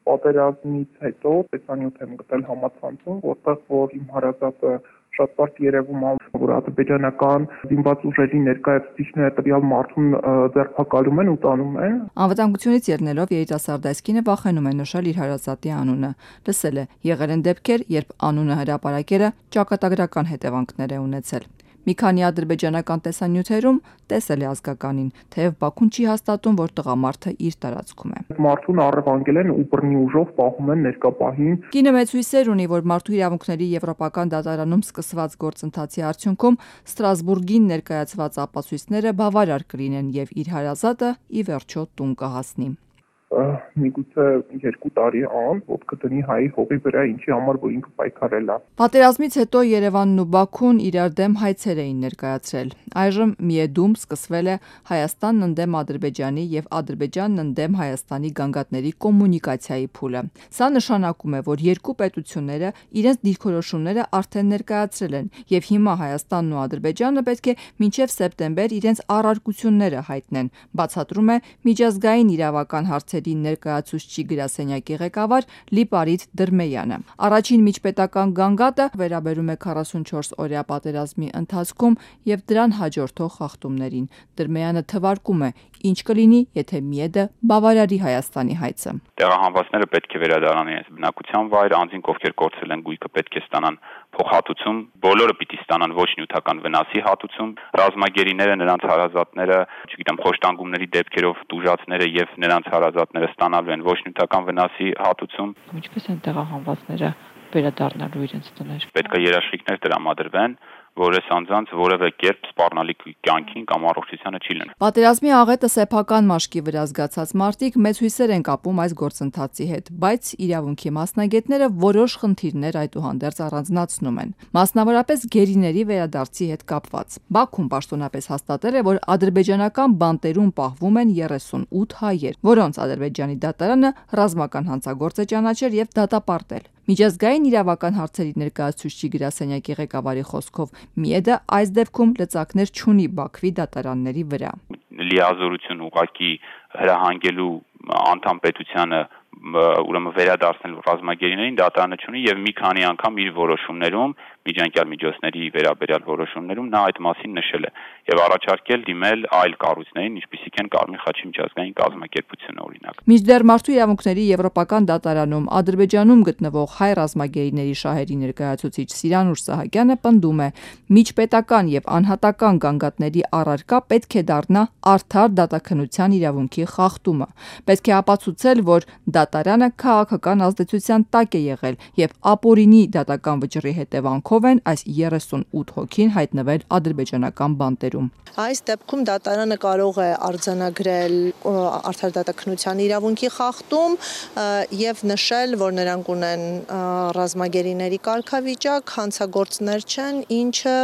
պատերազմից հետո տեսանյութ եմ գտել համացանցում, որտեղ որ իմ հարազատը շատ բարդ երևում է, որ ադրբեջանական զինված ուժերի ներկայացուցիչները տվյալ մարդուն ձերբակալում են ու տանում են։ Անվտանգությունից ելնելով երիտասարդ այս կինը վախենում է նշել իր հարազատի անունը։ Լսել է, եղել են դեպքեր, երբ անունը հրապարակելը ճակատագրական հետևանքներ է ունեցել։ Մի քանի ադրբեջանական տեսանյութերում տեսել է ազգականին, թեև Բաքուն չի հաստատում, որ տղամարդը իր տարածքում է։ Մարդուն առևանգել են ու բռնի ուժով պահում են ներկապահին։ Կինը մեծ հույսեր ունի, որ մարդու իրավունքների եվրոպական դատարանում սկսված գործընթացի արդյունքում Ստրասբուրգին ներկայացված ապացույցները բավարար կլինեն եւ իր հարազատը ի վերջո տուն կհասնի։ Միգուցե 2 տարի անց ոտքը դնի հայի հողի վրա, ինչի համար որ ինքը պայքարել է։ Պատերազմից հետո Երևանն ու Բաքուն իրար դեմ հայցեր էին ներկայացրել։ Այժմ Միեդում սկսվել է Հայաստանն ընդդեմ Ադրբեջանի եւ Ադրբեջանն ընդդեմ Հայաստանի գանգատների կոմունիկացիայի փուլը։ Սա նշանակում է, որ երկու պետությունները իրենց դիրքորոշումները արդեն ներկայացրել են եւ հիմա Հայաստանն ու Ադրբեջանը պետք է մինչեւ սեպտեմբեր իրենց առարկությունները հայտնեն, բացատրում է միջազգային իրավական հարցերի ներկայացուցիչ գրասենյակի ղեկավար Լիպարիտ Դրմեյանը։ Առաջին միջպետական գանգատը վերաբերում է 44-օրյա պատերազմի ընթացքում եւ դրան հաջորդող խախտումներին։ Դրմեյանը թվարկում է, ինչ կլինի, եթե Միեդը բավարարի Հայաստանի հայցը։ Տեղահանվածները պետք է վերադառնան իրենց բնակության վայր, անձինք ովքեր կորցրել են գույքը պետք է ստանան փոխհատուցում, բոլորը պիտի ստանան ոչ նյութական վնասի հատուցում, ռազմագերիները, նրանց հարազատները, չգիտեմ, խոշտանգումների դեպքերով տուժածները եւ նրանց հարազատները ստանալու են ոչ նյութական վնասի հատուցում։ Ինչպես են տեղահանվածները վերադառնալու իրենց տներ։ Պետք է երաշխիքներ տրամադրվեն, որ այս անձանց որևէ կերպ սպառնալիք կյանքին կամ առողջությանը չի լինի։ Պատերազմի աղետը սեփական մաշկի վրա զգացած մարդիկ մեծ հույսեր են կապում այս գործընթացի հետ, բայց իրավունքի մասնագետները որոշ խնդիրներ այդուհանդերձ առանձնացնում են, մասնավորապես գերիների վերադարձի հետ կապված։ Բաքուն պաշտոնապես հաստատել է, որ ադրբեջանական բանտերում պահվում են 38 հայեր, որոնց Ադրբեջանի դատարանը ռազմական հանցագործ է ճանաչել եւ դատապարտել։ Միջազգային իրավական հարցերի ներկայացուցիչ գրասենյակի ղեկավարի խոսքով Միեդը այս դեպքում լծակներ չունի Բաքվի դատարանների վրա։ Լիազորություն ուղղակի հրահանգելու անդամ պետությանը ուրեմն վերադարձնել ռազմագերիներին դատարանը չունի եւ մի քանի անգամ իր որոշումներում միջանկյալ միջոցների վերաբերյալ որոշումներում նա այդ մասին նշել է եւ առաջարկել դիմել այլ կառույցներին, ինչպիսիք են Կարմիր խաչի միջազգային կազմակերպությունը օրինակ։ Մինչդեռ մարդու իրավունքների եվրոպական դատարանում Ադրբեջանում գտնվող հայ ռազմագերիների շահերի ներկայացուցիչ Սիրանուշ Սահակյանը պնդում է, միջպետական եւ անհատական գանգատների առարկա պետք է դառնա արդար դատաքննության իրավունքի խախտումը։ Պետք է ապացուցել, որ դատարանը քաղաքական ազդեցության տակ է եղել եւ ապօրինի դատական վճռի հետևանքով են այս 38 հոգին հայտնվել ադրբեջանական բանտերում։ Այս դեպքում դատարանը կարող է արձանագրել արդար դատաքննության իրավունքի խախտում եւ նշել, որ նրանք ունեն ռազմագերիների կարգավիճակ, հանցագործներ չեն, ինչը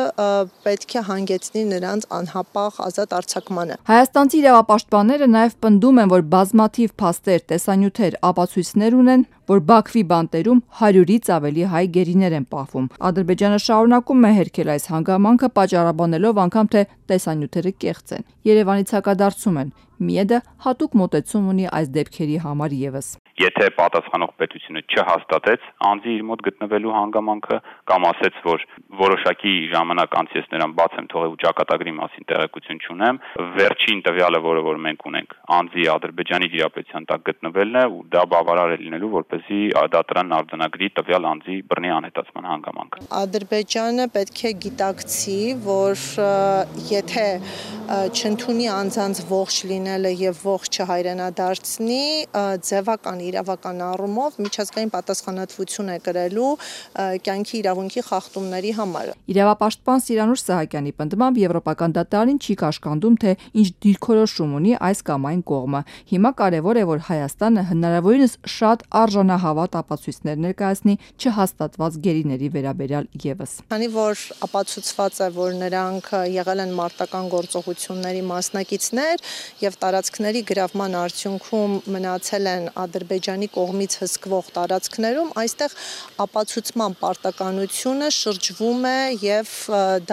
պետք է հանգեցնի նրանց անհապաղ ազատ արձակմանը։ Հայաստանցի իրավապաշտպանները նաեւ պնդում են, որ բազմաթիվ փաստեր, տեսանյութեր, ապացույցներ ունեն, որ Բաքվի բանտերում 100-ից ավելի հայ գերիներ են պահվում։ Ադրբեջանը շարունակում է հերքել այս հանգամանքը, պատճառաբանելով անգամ թե տեսանյութերը կեղծ են։ Երևանից հակադարձում են։ Միեդը հատուկ մոտեցում ունի այս դեպքերի համար եւս։ Եթե պատասխանող պետությունը չհաստատեց անձի իր մոտ գտնվելու հանգամանքը կամ ասեց, որ որոշակի ժամանակ անց ես նրան բաց եմ թողել ու ճակատագրի մասին տեղեկություն չունեմ, վերջին տվյալը, որը մենք ունենք, անձի Ադրբեջանի դիրապետության տակ գտնվելն է ու դա բավարար է լինելու, որպեսզի դատարանն արձանագրի տվյալ անձի բռնի անհետացման հանգամանքը։ Ադրբեջանը պետք է գիտակցի, որ եթե չընդունի անձանց ողջ լինելը եւ ողջ չհայրենադարձնի, ձևական իրավական առումով միջազգային պատասխանատվություն է կրելու կյանքի իրավունքի խախտումների համար։ Իրավապաշտպան Սիրանուշ Սահակյանի պնդմամբ Եվրոպական դատարանին չի կաշկանդում, թե ինչ դիրքորոշում ունի այս կամ այն կողմը։ Հիմա կարևոր է, որ Հայաստանը հնարավորինս շատ արժանահավատ ապացույցներ ներկայացնի չհաստատված գերիների վերաբերյալ եւս։ Քանի որ ապացուցված է, որ նրանք եղել են մարտական գործողությունների մասնակիցներ եւ տարածքների գրավման արդյունքում մնացել են Ադրբեջանի կողմից հսկվող տարածքներում, այստեղ ապացուցման պարտականությունը շրջվում է եւ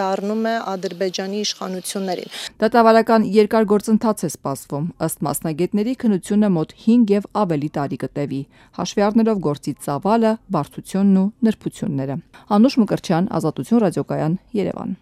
դառնում է Ադրբեջանի իշխանություններին։ Դատավարական երկար գործընթաց է սպասվում, ըստ մասնագետների քննությունը մոտ 5 եւ ավելի տարի կտևի, հաշվի առնելով գործի ծավալը, բարդությունն ու նրբությունները։ Անուշ Մկրտչյան, Ազատություն ռադիոկայան, Երևան։